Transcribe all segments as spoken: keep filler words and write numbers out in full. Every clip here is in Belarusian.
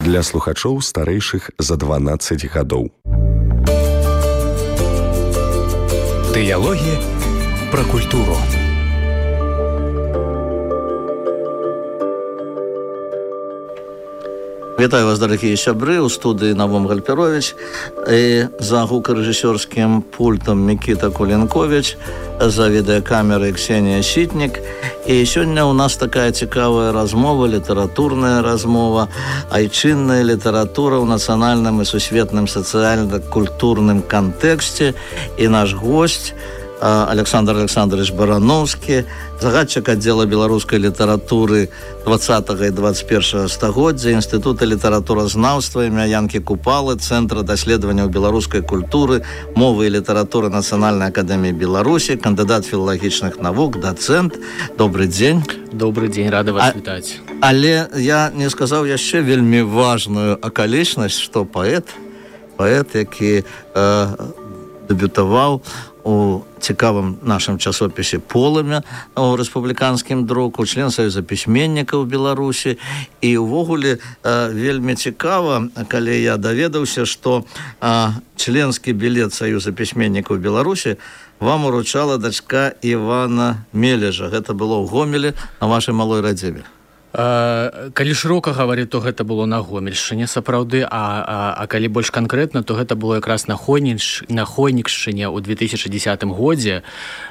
Для слухачоў старэйшых за дванаццаць гадоў. Дыялогі пра культуру. Вітаю вас, дарагія сябры, у студыі Навум Гальперович і за гукарэжысёрскім пультам Мікіта Кулінкович, за відэакамерай Ксенія Сітнік. І сёння у нас такая цікавая размова, літаратурная размова, айчынная літаратура ў нацыянальным і сусветным сацыяльна-культурным кантэксце. І наш госць Александр Александрович Барановскі, загадчык аддзела беларускай літаратуры двадцатага і дваццаць першага стагоддзя, Інстытута літаратуразнаўства імя Янкі Купалы, Цэнтра даследаванняў беларускай культуры, мовы і літаратуры Нацыянальнай акадэміі Беларусі, кандыдат філалагічных навук, дацэнт. Добры дзень. Добры дзень, рада вас а, вітаць. Але я не сказаў яшчэ вельмі важную акалічнасць, што паэт, паэт, які э, дэбютаваў у цікавым нашым часопісе «Полымя» у рэспубліканскім друку, член Саюза пісьменнікаў Беларусі. І ўвогуле э, вельмі цікава, калі я даведаўся, што э, членскі білет Саюза пісьменнікаў Беларусі вам уручала дачка Івана Мележа. Гэта было ў Гомелі на вашай малой радзіме. Калі шырока гаварыць, то гэта было на Гомельшчыне сапраўды, а, а, а калі больш канкрэтна, то гэта было якраз на Хонікшчыне ў две тысячы дзесятым годзе.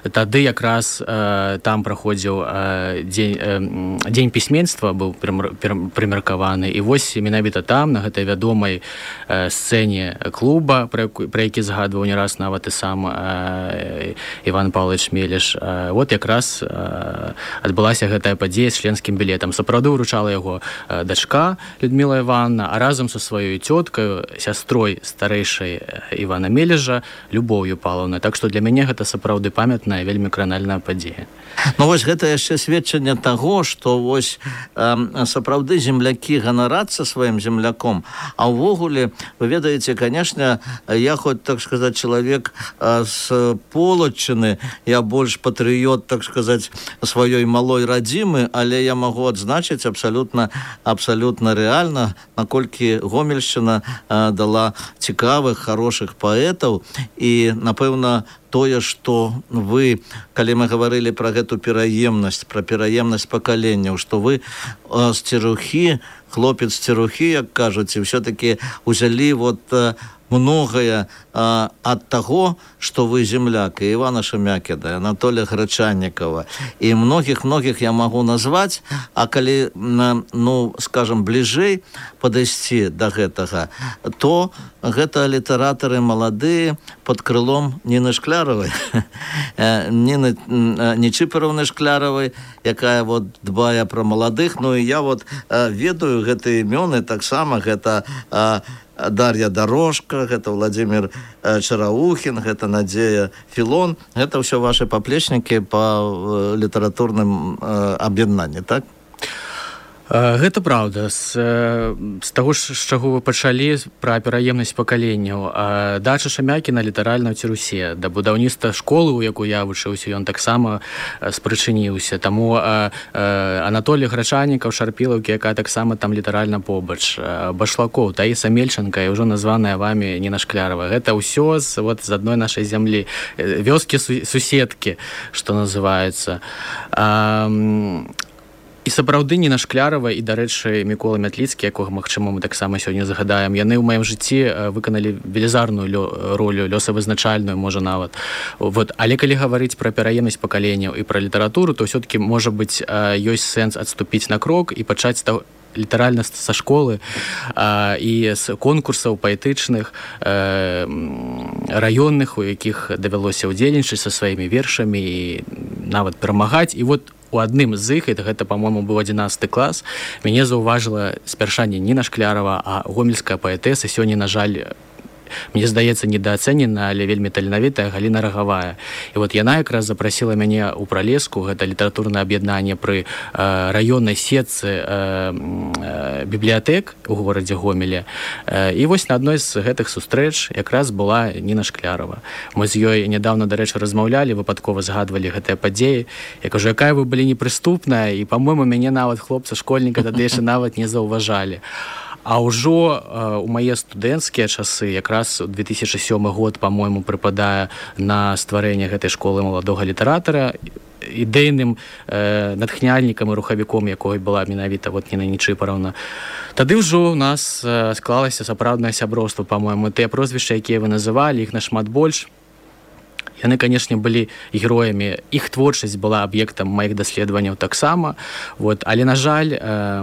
Тады якраз э, там праходзіў э, дзень, э, дзень пісьменства, быў прымеркаваны. І вось менавіта там, на гэтай вядомай э, сцэне клуба, пра, пра які згадваў не раз нават і сам э, Іван Павлович Мелеш, э, вот якраз э, адбылася гэтая падзея з членскім білетам. Правда, уручала яго дачка Людміла Івановна, а разам са сваёй цёткаю, сястрой старэйшай Івана Мележа, Любоўю Павлаўнай. Так што для мяне гэта сапраўды памятная, вельмі кранальная падзея. Ну вось гэта яшчэ сведчанне таго, што вось э, сапраўды землякі ганарацца сваім земляком, а ўвогуле, вы ведаеце, канешне, я хоць, так сказаць, чалавек э, з Полаччыны, я больш патрыёт, так сказаць, сваёй малой радзімы, але я магу адзначыць абсалютна, абсалютна рэальна, наколькі Гомельшчына э, дала цікавых, хорошых паэтаў. І, напэўна, тое, што вы, калі мы гаварылі пра гэту пераемнасць, пра пераемнасць пакаленняў, што вы э, з церухі, хлопец з церухі, як кажуць, і ўсё-такі узялі вот э, многае а, ад таго, што вы земляк, і Івана Шемякіна, Анатолія Грачаннікава, і многіх-многіх я магу назваць, а калі, ну, скажам, бліжэй падысці да гэтага, то гэта літаратары маладыя пад крылом Ніны Шкляравай, Ніны Нечыпараўны Шкляравай, якая вот дбае пра маладых. Ну і я вот ведаю гэтыя імёны, таксама гэта Дар'я Дорожка, гэта Владимир Чараухін, гэта Надзея Філон. Гэта ўсё ваши паплечнікі па літаратурным аб'яднанні, так? Гэта праўда. З, з таго, з чаго вы пачалі, пра пераемнасць пакаленняў. Дача Шамякіна літаральна ў Цірусе. Да будаўніцтва школы, у якой я вучыўся, ён таксама спрычыніўся. Таму Анатолій Грачаннікаў, Шарпілаўкі, якая таксама там літаральна побач. Башлакоў, Таіса Мельчанка і ўжо названая вамі Ніна Шклярова. Гэта ўсё з, вот, з адной нашай зямлі. Вёскі-суседкі, што называецца. І сапраўды Ніна Шклярова і, дарэчы, Мікола Мятліцкі, якога, магчыма, мы таксама сёння загадаем, яны ў маім жыцці выканалі велізарную лё, ролю, лёсавызначальную, можа, нават. Вот. Але калі гаварыць пра пераемнасць пакаленняў і пра літаратуру, то ўсё-такі, можа быць, ёсць сэнс адступіць на крок і пачаць літаральна са школы а, і з конкурсаў паэтычных, э, раённых, у якіх давялося ўдзельнічаць са сваімі вершамі і нават перамагаць. І вот у адным з іх, гэта, па-мойму, быў адзінаццаты клас, мяне заўважыла спярша не Ніна Шклярова, а гомельская паэтэса, сёння, на жаль, мне здаецца, недаацэнена, але вельмі таленавітая Галіна Рагавая. І вот яна якраз запрасіла мяне ў Пралеску, гэта літаратурнае аб'яднанне пры э, раённай сетцы э, э, бібліятэк у горадзе Гомеле. Э, і вось на адной з гэтых сустрэч якраз была Ніна Шклярова. Мы з ёй нядаўна, дарэчы, размаўлялі, выпадкова згадвалі гэтыя падзеі. Я кажу, якая вы былі непрыступная, і, па-мойму, мяне нават хлопца-школьніка тады яшчэ нават не заўважалі. А ўжо у мае студэнцкія часы, якраз две тысячи сёмы год, по-мойму, прыпадае на стварэнне гэтай школы маладога літаратара, ідэйным э, натхняльнікам і рухавіком, якой была менавіта вот Ніна Нечыпараўна. Тады ўжо ў нас э, склалася сапраўднае сяброўства, па-мойму. Тыя прозвішчы, якія вы называлі, іх нашмат больш. Яны, канешне, былі героямі. Іх творчасць была аб'ектам маіх даследаванняў таксама. Вот. Але, на жаль, э,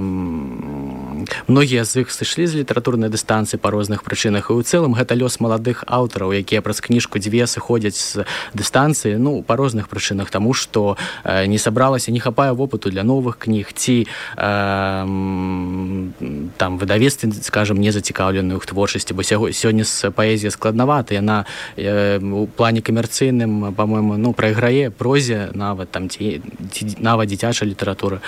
многія з іх сышлі з літаратурнай дыстанцыі па розных прычынах. І ў цэлым гэта лёс маладых аўтараў, якія праз кніжку дзве сыходзяць з дыстанцыі, ну, па розных прычынах, таму што э, не сабралася, не хапае вопыту для новых кніг, ці э, там выдавецтвы, скажам, не зацікаўлены ў творчасці, бо сёння з паэзія складнавата, яна э, у плане камерцыйным, по-моему, ну, прайграе прозе нават там ці, ці нават дзіцячай літаратуры.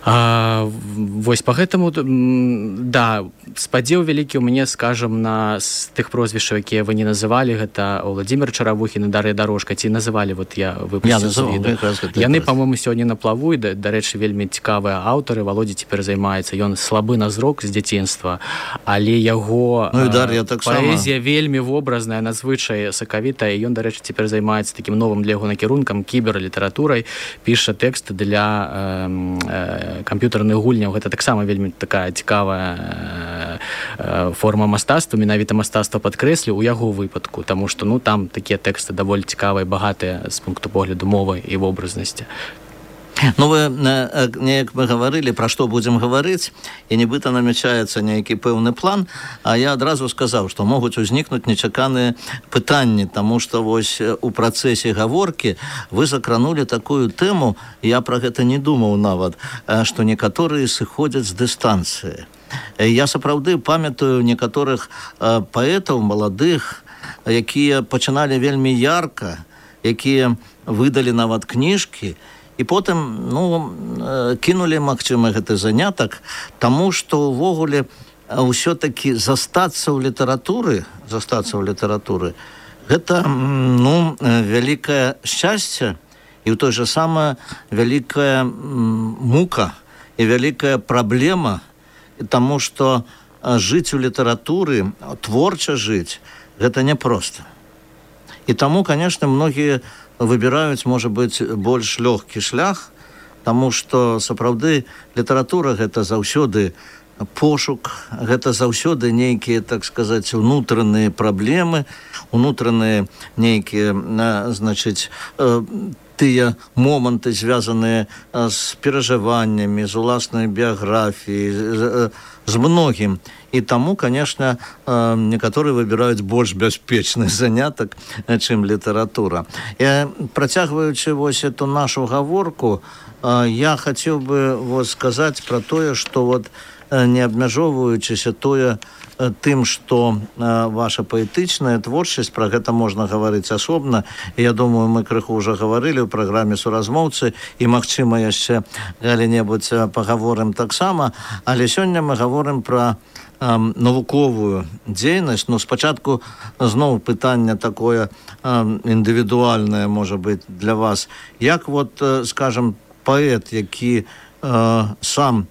А, вось па гэтаму, да, спадзеў вялікі ў мяне, скажам, на з тых прозвішчаў, якія вы не называлі, гэта Владзімир Чаравухін і Дар'я Дарожка, ці называлі, вот я выпусціў з відэа. Яны, па-мойму, сёння на плаву, і, дарэчы, вельмі цікавыя аўтары. Володя цяпер займаецца, ён слабы на зрок з дзяцінства, але яго ну, Дар'я таксама. Паэзія вельмі вобразная, надзвычай сакавітая, і ён, дарэчы, цяпер займаецца такім новым для яго накірункам, кіберлітаратурай, піша тэкст для э, э, камп'ютарных гульняў. Гэта таксама вельмі такая цікавая э, форма мастацтва, менавіта мастацтва падкрэслю у яго выпадку, таму што, ну, там такія тэксты даволі цікавыя, багатыя з пункту погляду мовы і вобразнасці. Ну, вы, неяк мы гаварылі, пра што будзем гаварыць, і нібыта намячаецца нейкі пэўны план, а я адразу сказаў, што могуць узнікнуць нечаканыя пытанні, таму што вось у працэсе гаворкі вы закранулі такую тэму, я пра гэта не думаў нават, што некаторыя сыходзяць з дыстанцыі. Я сапраўды памятаю некаторых паэтаў маладых, якія пачыналі вельмі ярка, якія выдалі нават кніжкі, і потым, ну, кінулі, магчыма, гэты занятак, таму што ўвогуле ўсё-такі застацца ў літаратуры, застацца ў літаратуры, гэта, ну, вялікае шчасце і ў той жа самае вялікая мука і вялікая праблема, таму што жыць у літаратуры, творча жыць, гэта няпроста. І таму, канешне, многія выбіраюць, можа быць, больш лёгкі шлях, таму што сапраўды літаратура гэта заўсёды пошук, гэта заўсёды нейкія, так сказаць, унутраныя праблемы, унутраныя нейкія, значыць, тыя моманты, звязаныя з перажываннямі, з уласнай біяграфіяй, з многім. І таму, конечно, некаторыя выбіраюць больш бяспечны занятак, чым літаратура. Я, працягваючы вось эту нашу гаворку, я хацеў бы вот сказаць пра тое, што вот не абмяжоўваючыся тое тым, што ваша паэтычная творчасць, пра гэта можна гаварыць асобна. Я думаю, мы крыху ўжо гаварылі ў праграме «Суразмоўцы», і, магчыма, яшчэ калі-небудзь пагаворым таксама, але сёння мы гаворым пра навуковую дзейнасць. Ну, спачатку зноў пытанне такое індывідуальнае, можа быць, для вас. Як вот, скажем, паэт, які сам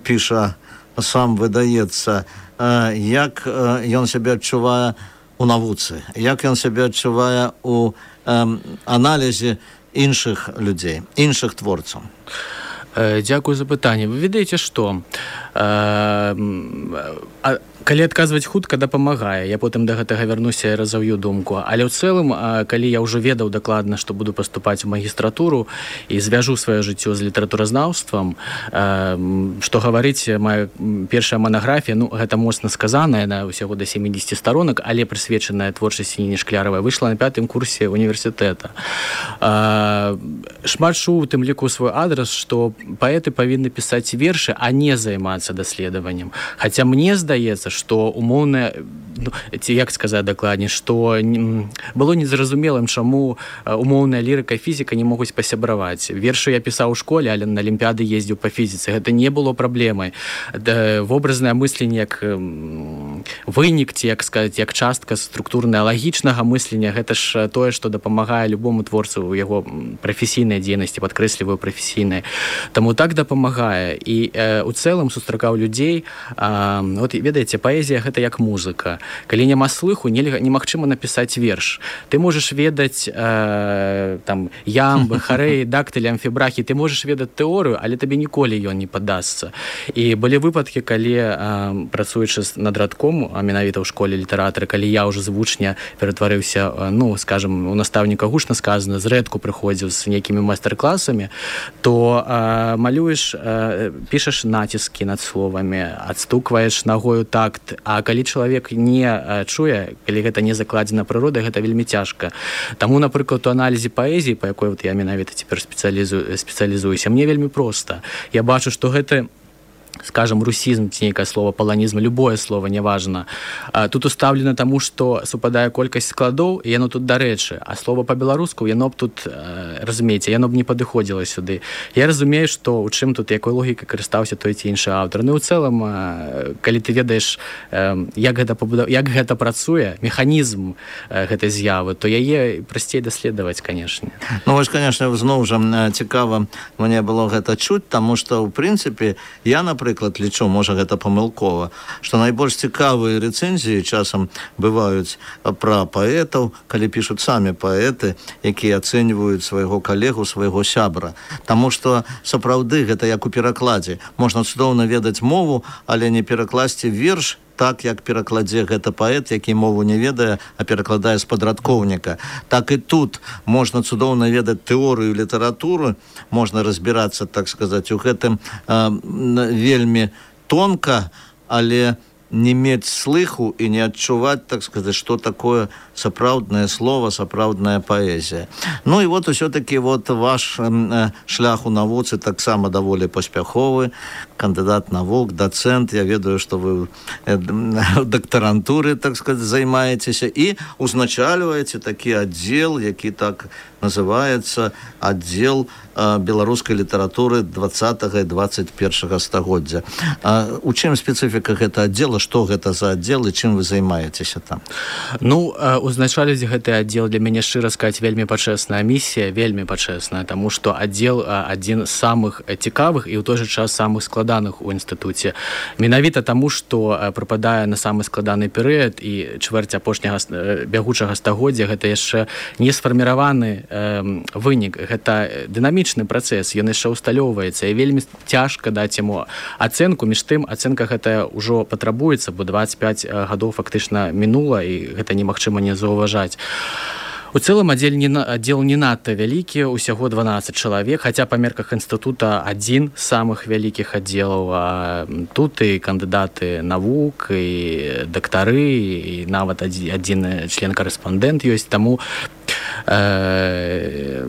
піша, сам выдаецца, як ён сябе адчувае у навуцы, як ён сябе адчувае у аналізе іншых людзей, іншых творцаў? Дзякую за пытанне. Вы ведаеце, што калі адказваць хутка, дапамагае. Я потым да гэтага вярнуся і разаўю думку. Але ў цэлым, калі я ўжо ведаў дакладна, што буду паступаць у магістратуру і звяжу сваё жыццё з літаратуразнаўствам, што гаварыць, моя першая манаграфія, ну, гэта моцна сказана, яна ўсяго да сямідзесяці старонак, але прысвечаная творчасці Ніны Шкляравай, выйшла на пятым курсе універсітэта. Шмат чуў, у тым ліку свой адрас, што паэты павінны пісаць вершы, а не займацца даследаваннем. Хаця мне здаецца, што умоўна, ну, ці як сказаць дакладней, што было незразумелым, чаму умоўная лірыка і фізіка не могуць пасябраваць. Вершы я пісаў у школе, але на алімпіяды ездзіў па фізіцы. Гэта не было праблемай. Вобразнае мысленне як вынік, ці, як сказаць, як частка структурная лагічнага мыслення. Гэта ж тое, што дапамагае любому творцу ў яго прафесійнай дзейнасці, падкрэсліваю прафесійнай. Таму так дапамагае. І э, у цэлым сустракаў людзей. Э, от, ведаеце, паэзія гэта як музыка. Калі няма слыху, нельга, немагчыма напісаць верш. Ты можаш ведаць э, там ямбы, харэі, дактылі, амфібрахі, ты можаш ведаць тэорыю, але табе ніколі ён не падасца. І былі выпадкі, калі э, працуючы над радком, а менавіта ў школе літаратары, калі я ўжо з вучня ператварыўся, ну, скажем, у настаўніка гучна сказана, зрэдку прыходзіў з нейкімі майстар-класамі, то э, малюеш, э, пішаш націскі над словамі, адстукваеш нагою такт, а калі чалавек не э, чуе, калі гэта не закладзена прыродой, гэта вельмі цяжка. Таму, напрыклад, у аналізе паэзіі, па якой вот я менавіта цяпер спецыялізую, спецыялізуюся, мне вельмі проста. Я бачу, што гэта, скажем, русізм, ці нейкае слово, паланізм, любое слово, неважно. Тут устаўлена таму, што супадае колькасць складоў, і яно тут дарэчы, а слово па-беларуску, яно б тут, разумееце, яно б не падыходзіла сюды. Я разумею, што ў чым тут, якой логікай карыстаўся той ці іншы аўтар. Ну, ў цэлым, калі ты ведаеш, як гэта, пабудав... як гэта працуе, механізм гэтай з'явы, то яе прасцей даследаваць, канешне. Ну, вось, канешне, зноў жа цікава мне было гэта чуць, таму што, ў прынцыпе, я, напрыклад, Напрыклад, лічу, можа, гэта памылкова, што найбольш цікавыя рэцэнзіі часам бываюць пра паэтаў, калі пішуць самі паэты, якія ацэньваюць свайго калегу, свайго сябра. Таму што, сапраўды, гэта як у перакладзе. Можна цудоўна ведаць мову, але не перакласці верш так, як перакладзе гэта паэт, які мову не ведае, а перакладае з падрадкоўніка. Так і тут можна цудоўна ведаць тэорыю літаратуры, можна разбірацца, так сказаць, у гэтым э, вельмі тонка, але не мець слыху і не адчуваць, так сказаць, што такое сапраўднае слово, сапраўдная паэзія. Ну і вот усё-таки вот ваш э, шлях у навуцы таксама даволі паспяховы, кандыдат навук, дацэнт, я ведаю, што вы э, в дактарантуры, так сказаць, займаецеся і узначальваеце такі аддзел, які так называецца аддзел э, беларускай літаратуры двадцатага і двадцать першага стагоддзя. А у чым спецыфіка гэта аддзела, што гэта за аддзел і чым вы займаецеся там? Ну, узначаліць гэты аддзел для мяне, шчыра сказаць, вельмі пачэсная місія, вельмі пачэсная, таму што аддзел адзін з самых цікавых і ў той жа час самых складаных у інстытуце. Менавіта таму, што прыпадае на самы складаны перыяд і чвэрць апошняга бягучага стагоддзя, гэта яшчэ не сфарміраваны э, вынік, гэта дынамічны працэс, ён яшчэ усталёўваецца і вельмі цяжка даць яму ацэнку, між тым ацэнка гэтая ўжо патрабуецца, бо двадцять пять гадоў фактычна мінула і гэта немагчыма не заўважаць. У цэлым аддзел не, аддзел не надта вялікі, усяго дванаццаць чалавек, хаця па мерках інстытута адзін з самых вялікіх аддзелаў. А тут і кандыдаты навук, і дактары, і нават адзін член-карэспандэнт ёсць, таму э,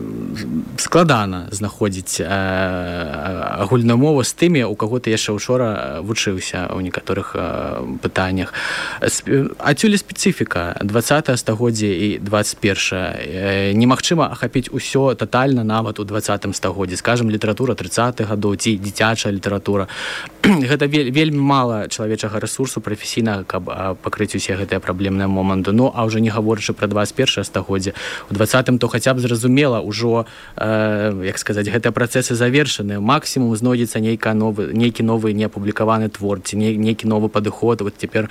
складана знаходзіць э, агульную мову з тымі, у каго ты яшчэ учора вучыўся ў некаторых э, пытаннях. Адсюль спецыфіка двадцатае стагоддзе і двадцать першае. Немагчыма ахапіць усё татальна нават у двадцатым стагоддзі. Скажам, літаратура трыццатых гадоў ці дзіцячая літаратура. Гэта вельмі мала чалавечага рэсурсу прафесійнага, каб пакрыць усе гэтыя праблемныя моманты. Ну, а ўжо не гаворачы пра двадцать першае стагоддзе. У двадцатым то хаця б зразумела, ўжо, э, як сказаць, гэтыя працэсы завершаны. Максімум знойдзецца нейкі новы, нейкі новы неапублікаваны твор, ці нейкі новы падыход. Вот цяпер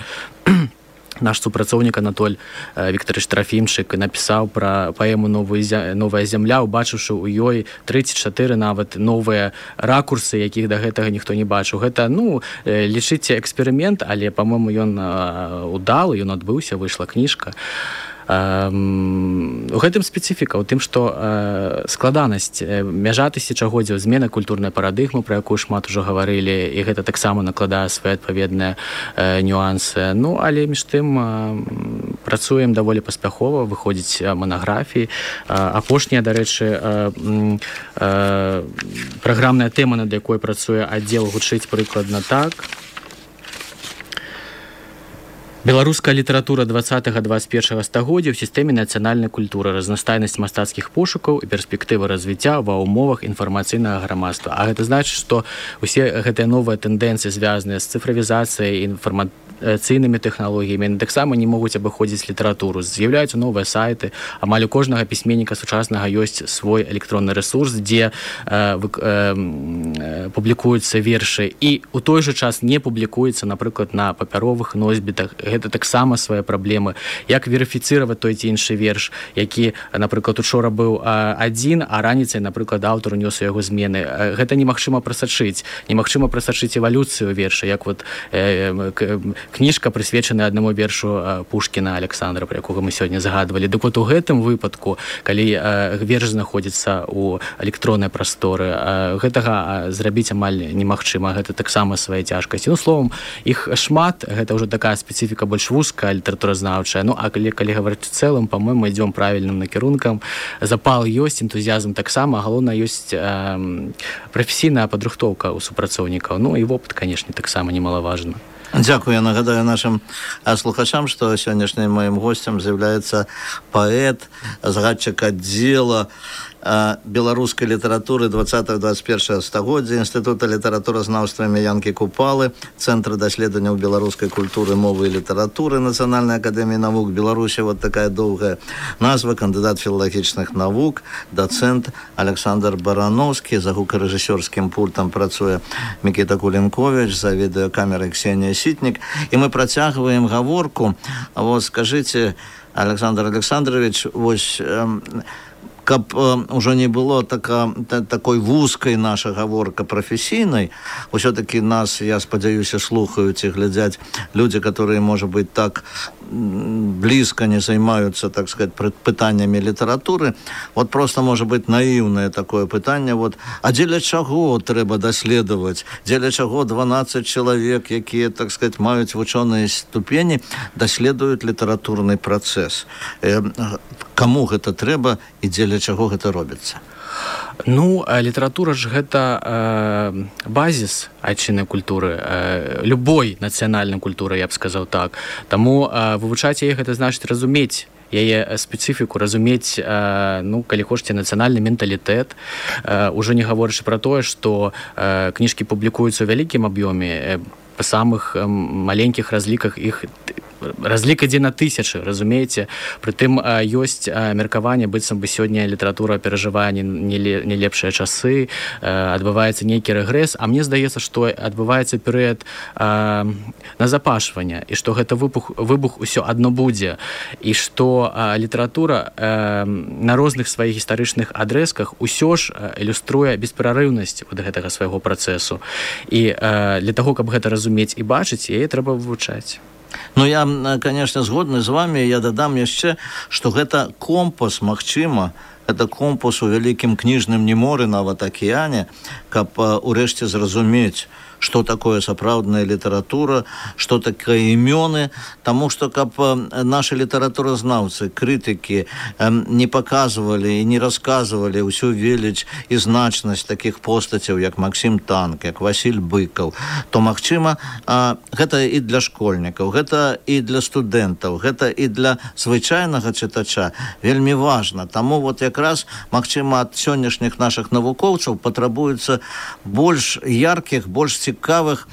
наш супрацоўнік Анатоль Віктарыч Трафімчык напісаў пра паэму «Новая зямля», убачыўшы ў ёй тры ці чатыры нават новыя ракурсы, якіх да гэтага ніхто не бачыў. Гэта, ну, лічыце эксперымент, але, па-мойму, ён удалы, ён адбыўся, выйшла кніжка. У гэтым спецыфіка, у тым, што э, складанасць, мяжа тысячагоддзяў, змена культурнай парадыгмы, пра якую шмат ужо гаварылі, і гэта таксама накладае свае адпаведныя э, нюансы. Ну, але між тым э, працуем даволі паспяхова, выходзіць манаграфіі. Э, апошняя, дарэчы, э, э, праграмная тэма, над якой працуе аддзел, гучыць прыкладна так. Беларуская літаратура двадцатага двадцать першага стагоддзя ў сістэме нацыянальнай культуры, разнастайнасць мастацкіх пошукаў і перспектывы развіцця ва ўмовах інфармацыйнага грамадства. А гэта значыць, што ўсе гэтыя новыя тэндэнцыі, звязаныя з цыфравізацыяй, інфарма... інфармацыйнымі тэхналогіямі, яны таксама не могуць абыходзіць літаратуру. З'яўляюцца новыя сайты, амаль у кожнага пісьменніка сучаснага ёсць свой электронны ресурс, дзе э, вы, э, публікуюцца вершы, і у той жа час не публікуецца, напрыклад, на папяровых носьбітах. Гэта таксама свае праблемы. Як верыфіцыраваць той ці іншы верш, які, напрыклад, учора быў адзін, а раніцай, напрыклад, аўтар унёс у яго змены. Гэта немагчыма прасачыць. Немагчыма прасачыць эвалюцыю верша, як вот э, кніжка, прысвечаная аднаму вершу Пушкіна Александра, пра якога мы сёння загадвалі. Дык вот у гэтым выпадку, калі э, верш знаходзіцца ў электроннай прасторы, э, гэтага зрабіць амаль немагчыма. Гэта таксама свае цяжкасці. Ну, словом, іх шмат, гэта ўжо такая спецыфіка больш вузкая, літаратуразнаўчая. Ну, а калі, калі гаварыць у цэлым, па-мойму, ідзём правільным накірункам. Запал ёсць, энтузіязм таксама, галоўна ёсць э, прафесійная падрыхтоўка ў супрацоўнікаў. Ну, і вопыт, канешне, таксама немалаважна. Дякую. Я нагадаю нашим слухачам, что сённяшнім моим гостем з'являецца паэт, згадчык аддзела беларускай літаратуры двадцатага двадцать первага стагоддзя Інстытута літаратуразнаўства імя Янкі Купалы, Цэнтра даследаванняў беларускай культуры, мовы і літаратуры Нацыянальнай акадэміі навук Беларусі. Вот такая доўгая назва. Кандыдат філалагічных навук, дацэнт Александр Барановскі. За гукарэжысёрскім пультам працуе Мікіта Кулінковіч, за відэакамерай Ксенія Сітнік. І мы працягваем гаворку. Вот скажите, Александр Александрович, вось каб э, уже не было така, та, такой вузкай наша гаворка прафесійнай, усё-таки нас, я спадзяюся, слухаюць і глядзяць людзі, которые, можа быть, так близко не займаюцца, так сказать, пытаннямі літаратуры. Вот просто, можа быть, наіўнае такое пытанне. Вот, а дзеля чаго трэба даследаваць? Дзеля чаго дванаццаць чалавек, якія, так сказать, маюць вучоныя ступені, даследуюць літаратурны працэс? Э, каму гэта трэба і дзеля чаго гэта робіцца? Ну, літаратура ж гэта э, базіс айчыннай культуры, э, любой нацыянальнай культуры, я б сказаў так. Таму э, вывучаць яе гэта значыць разумець яе спецыфіку, разумець, э, ну, калі хочаце, нацыянальны менталітэт. Э, ужо не гаворачы пра тое, што э, кніжкі публікуюцца ў вялікім аб'ёме, э, па самых э, маленькіх разліках іх разлік ідзе на тысячы, разумееце? Прытым ёсць меркаванне, быццам бы сёння літаратура перажывае не, не лепшыя часы, адбываецца нейкі рэгрэс, а мне здаецца, што адбываецца перыяд назапашвання, і што гэта выбух, выбух усё адно будзе, і што літаратура на розных сваіх гістарычных адрэзках усё ж ілюструе бесперарыўнасць ад гэтага свайго працэсу. І для таго, каб гэта разумець і бачыць, яе трэба вывучаць. Ну, я, конечно, згодны з вами. Я дадам яшчэ, што гэта компас, магчыма, гэта компас у вялікім кніжным неморы, нават акіяне, каб урэшце зразумець, што такое сапраўдная літаратура, што такое імёны, таму што каб нашы літаратуразнаўцы, крытыкі не паказвалі і не расказвалі ўсю веліч і значнасць такіх постацяў, як Максім Танк, як Васіль Быкаў, то, магчыма, гэта і для школьнікаў, гэта і для студэнтаў, гэта і для звычайнага чытача вельмі важна. Таму вот якраз, магчыма, ад сённяшніх нашых навукоўцаў патрабуецца больш яркіх, больш цікавых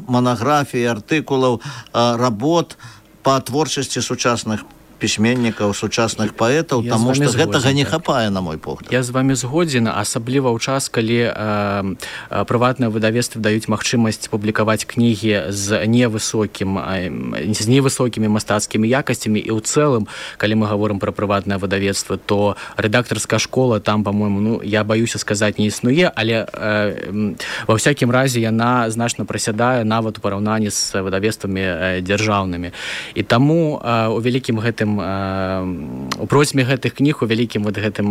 манаграфій, артыкулаў, работ па творчасці сучасных пісьменнікаў, сучасных паэтаў, я таму што згодзін, гэтага не так. хапае, на мой погляд. Я з вами згодзін, асабліва ў час, калі э, прыватныя выдавецтвы даюць магчымасць публікаваць кнігі з невысокім э, з невысокімі мастацкімі якасцямі, і ў цэлым, калі мы гаворым пра прыватнае выдавецтва, то рэдактарская школа там, па-мойму, ну, я баюся сказаць, не існуе, але э, ва ўсякім разе яна значна прасядае нават у параўнанні з выдавецтвамі э, дзяржаўнымі. І таму э, у вялікім гэтым у просьме гэтых кніг, у вялікім вот гэтым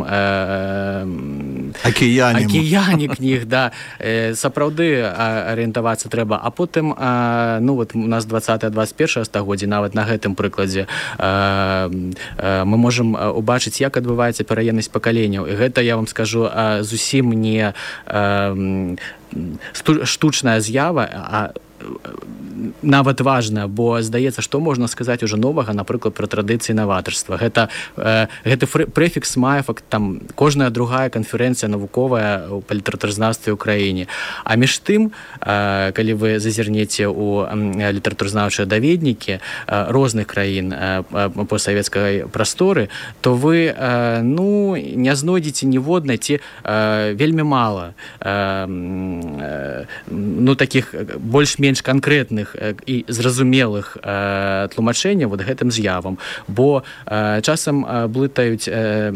акіяне акіяне кніг, да, сапраўды арыентавацца трэба. А потым, ну вот у нас двадцатае двадцать першае стагоддзе, нават на гэтым прыкладзе мы можам убачыць, як адбываецца пераемнасць пакаленняў. І гэта, я вам скажу, зусім не штучная з'ява, а нават важна, бо здаецца, што можна сказаць уже новага, напрыклад, пра традыцыі наватарства. Гэта, э, гэты прэфікс мае факт, там кожная другая канферэнцыя навуковая ў літаратуразнаўстве ў краіне. А між тым, э, калі вы зазірнеце ў э, літаратуразнаўчыя даведнікі э, розных краін э, постсавецкай прасторы, то вы э, ну, не знойдзеце ніводнай ці э, вельмі мала э, э, ну, такіх больш-менш канкрэтных і зразумелых э, тлумачэнняў вот гэтым з'явам, бо э, часам э, блытаюць э,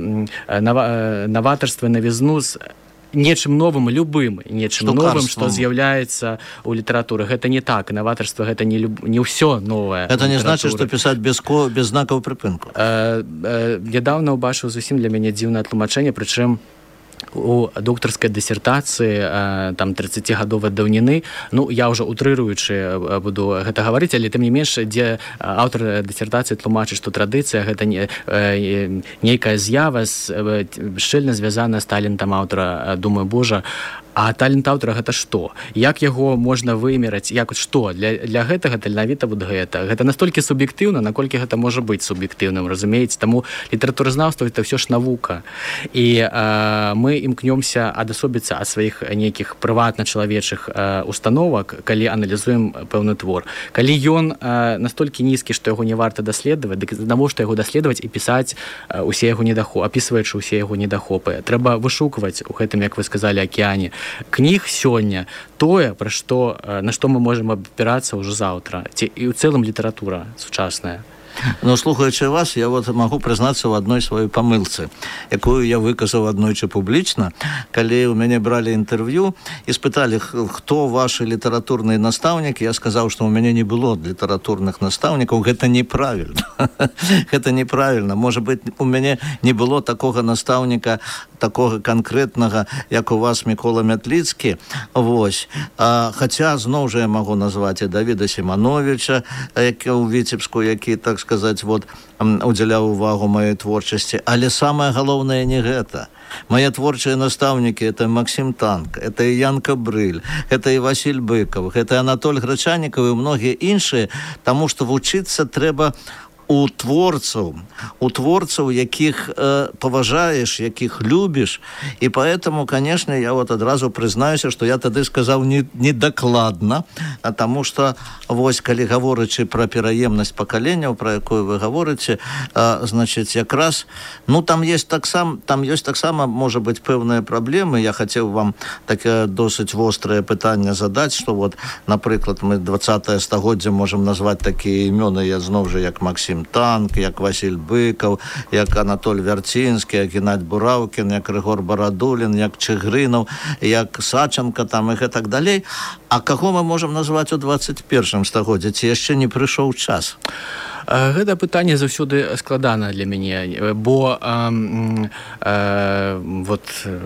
нава, э, наватарства, навізну з нечым новым, любым нечым новым, што з'яўляецца ў літаратуры. Гэта не так. Наватарства гэта не, люб... не ўсё новае. Это не значит, што пісаць без, ко... без знакаў прыпынку. Э, э, нядаўна ўбачыў зусім для мяне дзіўнае тлумачэнне, прычым у доктарскай дысертацыі там трыццацігадовай даўніны, ну я ўжо утрыруючы буду гэта гаварыць, але тым не менш, дзе аўтар дысертацыі тлумачыць, што традыцыя гэта не, нейкая з'ява шчыльна звязаная з талентам аўтара. Думаю, божа, а талент аўтара гэта што? Як яго можна вымераць? Як што? Для, для гэтага таленавіта вот гэта. Гэта настолькі суб'ектыўна, наколькі гэта можа быць суб'ектыўным, разумееце? Таму літаратуразнаўства это ўсё ж навука. І э, мы імкнёмся адасобіцца ад сваіх нейкіх прыватна-чалавечых э, установак, калі аналізуем пэўны твор. Калі ён э, настолькі нізкі, што яго не варта даследаваць, дык навошта яго даследаваць і пісаць э, усе яго недахопы, апісваючы ўсе яго недахопы. Трэба вышукваць у гэтым, як вы сказалі, акеане кніг сёння тое, пра што, на што мы можам абапірацца ўжо заўтра. Ці і ў цэлым літаратура сучасная. Ну, слухаючы вас, я вот магу прызнацца ў адной сваёй памылцы, якую я выказаў аднойчы публічна, калі ў мяне бралі інтэрв'ю і спыталі, хто вашы літаратурныя настаўнікі, я сказаў, што ў мяне не было літаратурных настаўнікаў. Гэта неправільна. Гэта неправільна. Можа быць, у мяне не было такога настаўніка, такога канкрэтнага, як у вас Мікола Мятліцкі. Вось. А, хаця, зноў жа я магу назваць і Давіда Сімановіча, які ў Віцебску, які, так сказаць, вот, удзяляў увагу маёй творчасці. Але самае галоўнае не гэта. Мае творчыя настаўнікі — это Максим Танк, это і Ян Кабрыль, это і Васіль Быкаў, это Анатоль Грачанікаў і многія іншыя, таму што вучыцца трэба у творцаў, у творцаў, якіх э, паважаеш, якіх любіш. І поэтому, конечно, я вот адразу прызнаюся, што я тады сказаў не, не дакладна, а таму што, вось, калі гаворачы пра пераемнасць пакаленняў, пра якую вы гаворыце, э, значыць, якраз, ну, там есть таксама, там ёсць таксама, можа быць, пэўныя праблемы. Я хацеў вам такое досыць вострае пытанне задаць, што вот, напрыклад, мы двадцатае стагоддзе можам назваць такія імёны, я зноў жа, як Максим Танк, як Васіль Быкаў, як Анатоль Вярцінскі, як Геннадзь Бураўкін, як Рыгор Барадулін, як Чыгрынаў, як Саченка, там і гэтак далей. А каго мы можам назваць у двадцать першым стагоддзі? Ці яшчэ не прыйшоў час? Гэта пытанне заўсёды складана для мяне, бо э, э, вот,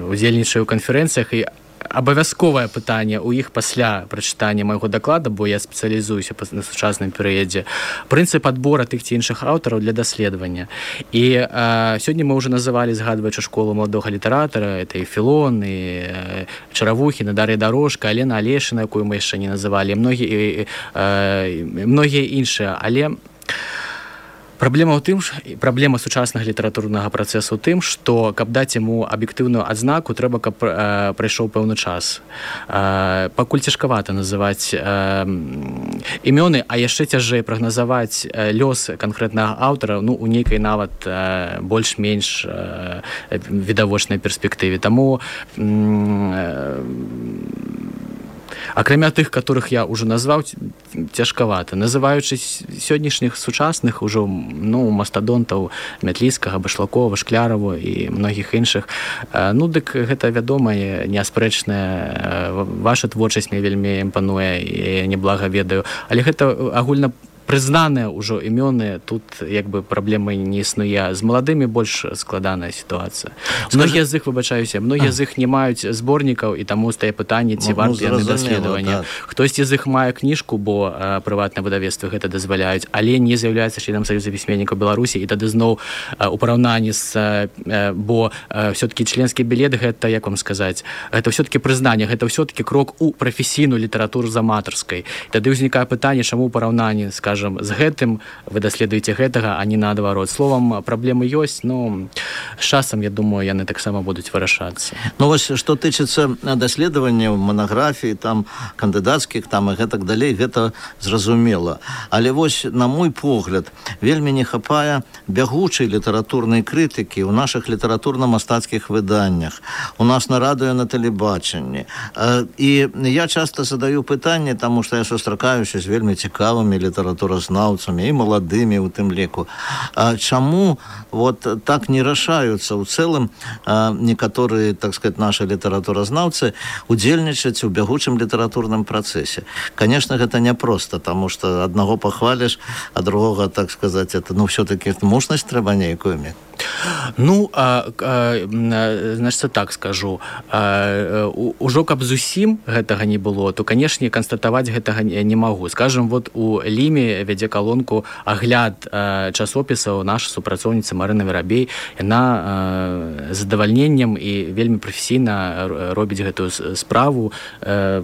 удзельнічаю ў канферэнцыях і абавязковае пытанне ў іх пасля прачытання майго даклада, бо я спецыялізуюся на сучасным перыядзе, прынцып адбора тых ці іншых аўтараў для даследавання. І э, сёння мы ўжо называлі, згадваючы школу маладога літаратара, это і Філон, і э, Чаравухіна, Дар'я Дарожка, Алена Алешына, якую мы яшчэ не называлі, многія, э, многія іншыя, але праблема ў тым, праблема сучаснага літаратурнага працэсу ў тым, што каб даць яму аб'ектыўную адзнаку, трэба, каб э, прайшоў пэўны час. Э, пакуль цяжкавата называць э, імёны, а яшчэ цяжэй прагназаваць э, лёс канкрэтнага аўтара, ну, у нейкай нават э, больш-менш э, відавочнай перспектыве. Таму э, акрамя тых, которых я уже назваў, цяжкавата. Называючы сённяшніх сучасных ужо, ну, мастадонтаў Мятліцкага, Башлакова, Шкляраву і многіх іншых, ну, дык гэта вядомая, неаспрэчная, ваша творчасць мне вельмі імпануе і няблага ведаю. Але гэта агульна прызнаныя ўжо імёны, тут як бы праблемы не існуе. З маладымі больш складаная сітуацыя. Многія з іх, выбачаюся, многія з іх не маюць зборнікаў, і таму стае пытанне, ці Ну, варта яны зразумела, даследавання. так. Хтосьці з іх мае кніжку, бо а, прыватныя выдавецтвы гэта дазваляюць, але не з'яўляецца членам Саюза пісьменнікаў Беларусі, і тады зноў а, у параўнанні з, а, бо а, все-таки членскі білет гэта, як вам сказаць, гэта все-таки прызнанне, гэта все-таки крок у прафесійную літаратуру з аматарскай. Тады ўзнікае пытанне, чаму ў параўнанні, скажам, з гэтым вы даследуеце гэтага, а не наадварот. Словам, праблемы ёсць, но з часам, я думаю, яны таксама будуць вырашацца. Ну вось, што тычыцца даследаванняў, манаграфій, там, кандыдацкіх, там, і гэтак далей, гэта зразумела. Але вось, на мой погляд, вельмі не хапае бягучай літаратурнай крытыкі ў нашых літаратурна-мастацкіх выданнях, у нас на радыё, на тэлебачанні. І я часта задаю пытанне, таму што я сустракаюся з вельмі цікавымі літаратуразнаўцамі і маладымі у тым ліку. А чаму вот так не рашаюцца ў цэлым некаторыя, так сказать, наши літаратуразнаўцы удзельнічаць у бягучым літаратурным працэсе? Конечно, гэта няпроста, таму што аднаго пахваліш, а другога, так сказать, это, ну, все-таки мужнасць трэба нейкую мець. Ну, а, а, значит, так скажу. А, ужо каб зусім гэтага не было, то, канешне, канстатаваць гэтага не магу. Скажем, вот у Ліме вядзе калонку агляд а, часопісаў наша супрацоўніца Марына Верабей. Яна а, з задавальненнем і вельмі прафесійна робіць гэтую справу. А,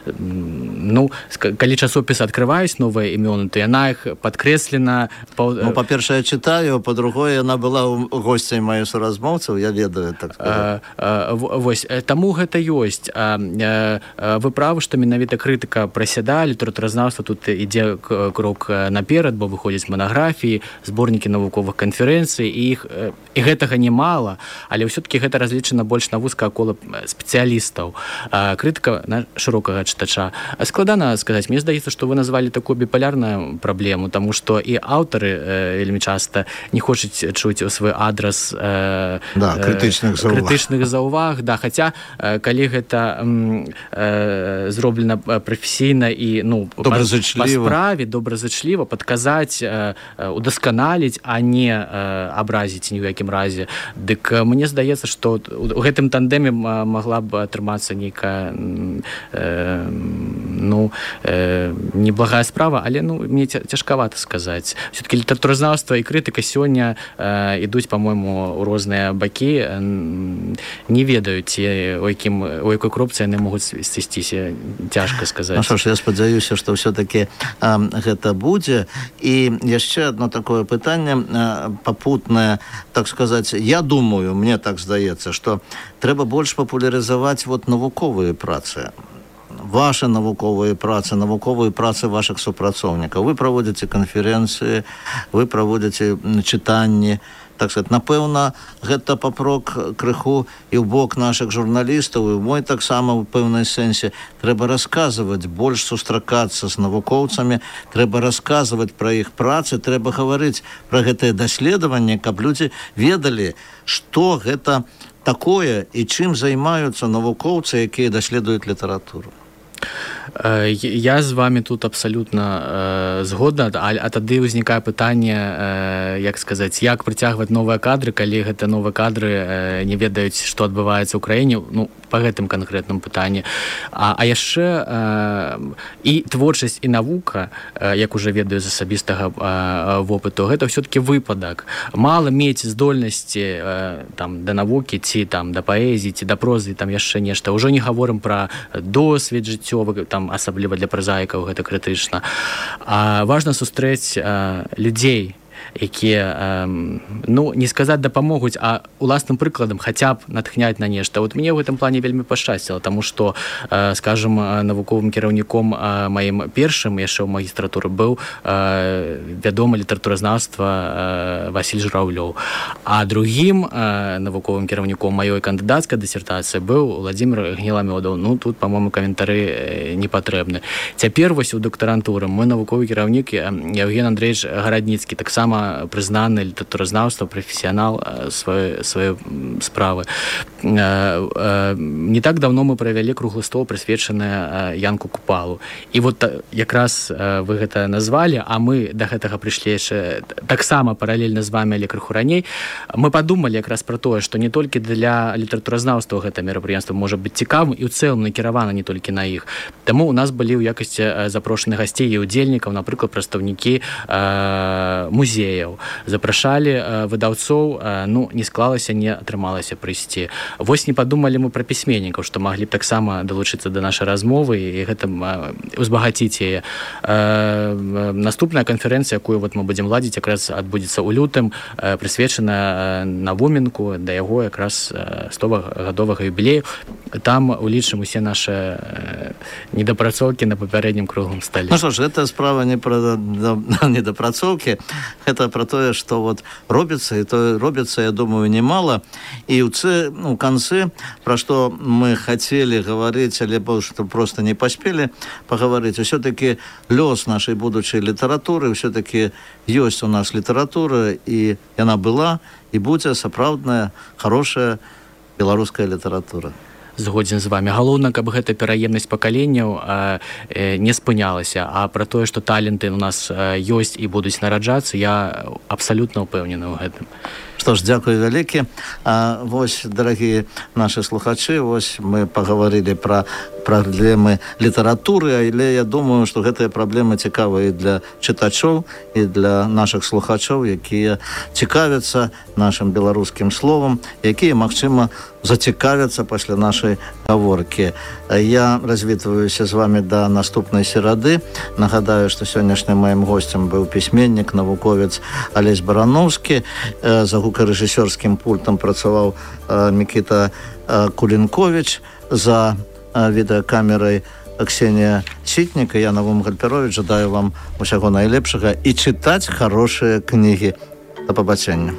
ну, калі часопісы адкрываюць новыя імёны, то яна іх падкрэслена. Ну, па-першае, я читаю, па-другое, яна была госцей маіх суразмоўцаў, я ведаю, так сказать. А, а, вось, таму гэта ёсць. А, а, вы правы, што менавіта крытыка прасядае, літаратуразнаўства тут ідзе крок наперад, бо выходзяць манаграфіі, зборнікі навуковых канферэнцый, і іх і гэтага немала, але ўсё-такі гэта разлічана больш на вузкае кола спецыялістаў. А, крытыка на шырокага чытача. Складана сказаць, мне здаецца, што вы назвалі такую біполярную праблему, таму што і аўтары вельмі часта не хочуць чуць у свой адрас э, да, крытычных заўваг. крытычных заўваг, да, хаця э, калі гэта э, зроблена прафесійна і, ну, па, па справе добразычліва падказаць, э, удасканаліць, а не э, абразіць ні ў якім разе, дык мне здаецца, што у гэтым тандеме магла б атрымацца нейкая э, ну, э, неблагая справа, але, ну, мне цяжкавата сказаць. Все-таки літаратуразнаўства і крытыка сёння э, ідуць, по-моему, у розныя бакі, не ведаю, ці у якім у якой кропцы яны могуць сысціся, цяжка сказаць. Ну што ж, я спадзяюся, што ўсё-таки гэта будзе. І яшчэ одно такое пытанне папутнае, так сказаць, я думаю, мне так здаецца, што трэба больш папулярызаваць вот навуковыя працы. Ваши навуковыя працы, навуковыя працы вашых супрацоўнікаў. Вы праводзіце канферэнцыі, вы праводзіце чытанні. Так сказать, напэўна, гэта папрок крыху і ў бок нашых журналістаў, і мой таксама ў пэўнай сэнсе. Трэба расказваць, больш сустракацца з навукоўцамі, трэба расказваць пра іх працы, трэба гаварыць пра гэтае даследаванне, каб людзі ведалі, што гэта такое і чым займаюцца навукоўцы, якія даследуюць літаратуру. Я з вами тут абсалютна э, згодна, а, а тады ўзнікае пытанне, э, як сказаць, як прыцягваць новыя кадры, калі гэта новыя кадры э, не ведаюць, што адбываецца ў краіне, ну, па гэтым канкрэтным пытанні. А, а яшчэ э, і творчасць, і навука, э, як уже ведаю з асабістага э, вопыту, гэта ўсё-таки выпадак. Мала мець здольнасці э, там, да навукі, ці там, да паэзіі, ці да прозы, там яшчэ нешта. Ужо не гаворым пра досвед жыццёвы, там, асабліва для празаікаў гэта крытычна. А важна сустрэць а, людзей, якія, ну, не сказаць дапамогуць, а уласным прыкладам хаця б натхняць на нешта. Вот мне ў гэтым плане вельмі пашчасціла, таму што, скажем, навуковым кіраўніком маім першым яшчэ ў магістратуры быў вядомы літаратуразнаўства Васіль Жураўлёў. А другім навуковым кіраўніком маёй кандыдацкай дысертацыі быў Владзімір Гніламёдаў. Ну, тут, па-моему, каментары не патрэбны. Цяпер вось у дактарантуры мой навуковы кіраўнік Евген Андреевич Гарадніцкі таксама таксама прызнаны літаратуразнаўства, прафесіянал сваёй сваёй справы. Не так давно мы правялі круглы стол, прысвечаны Янку Купалу. І вот якраз вы гэта назвалі, а мы да гэтага прыйшлі яшчэ таксама паралельна з вами, але крыху раней. Мы падумалі якраз пра тое, што не толькі для літаратуразнаўства гэта мерапрыемства можа быць цікавым і ў цэлым накіравана не толькі на іх. Таму у нас былі ў якасці запрошаных гасцей і удзельнікаў, напрыклад, прадстаўнікі музеяў. Запрашалі выдаўцоў, ну, не склалася, не атрымалася прыйсці. Вось не падумалі мы пра пісьменнікаў, што маглі б таксама далучыцца да нашай размовы і гэта узбагаціць яе. Наступная канферэнцыя, якую вот мы будзем ладзіць, якраз адбудзецца ў лютым, прысвечана Навуменку, да яго якраз стогадовага юбілею. Там улічым усе нашы недапрацоўкі на папярэднім круглым стале. Ну што ж, гэта справа не пра недапрацоўкі, гэта пра тое, што вот робіцца, і то робіцца, я думаю, немало. І ў цы, ну, канцы, пра што мы хацелі гаварыць, але што просто не паспелі пагаварыць. Усё-такі лёс нашай будучай літаратуры, ўсё-такі ёсць у нас літаратура, і яна была, і будзе сапраўдная, хорошая беларуская літаратура. Згодзін з вами. Галоўна, каб гэта пераемнасць пакаленняў не спынялася, а пра тое, што таленты у нас ёсць і будуць нараджацца, я абсалютна ўпэўнены ў гэтым. Што ж, дзякуй вялікі. А, вось, дарагія нашы слухачы, вось мы пагаварылі пра праблемы літаратуры, але я думаю, што гэтыя праблемы цікавыя і для чытачоў, і для нашых слухачоў, якія цікавяцца нашым беларускім словам, якія, магчыма, зацікавяцца пасля нашай гаворкі. Я развітваюся з вами да наступнай серады. Нагадаю, што сённяшнім маім госцем быў пісьменнік, навуковец Алесь Барановскі. За гукарэжысёрскім пультам працаваў Мікіта Кулінковіч, за відэакамерай Ксенія Сітніка. Я Навум Гальперович. Жадаю вам усяго найлепшага і чытаць хорошыя кнігі. Да пабачэння.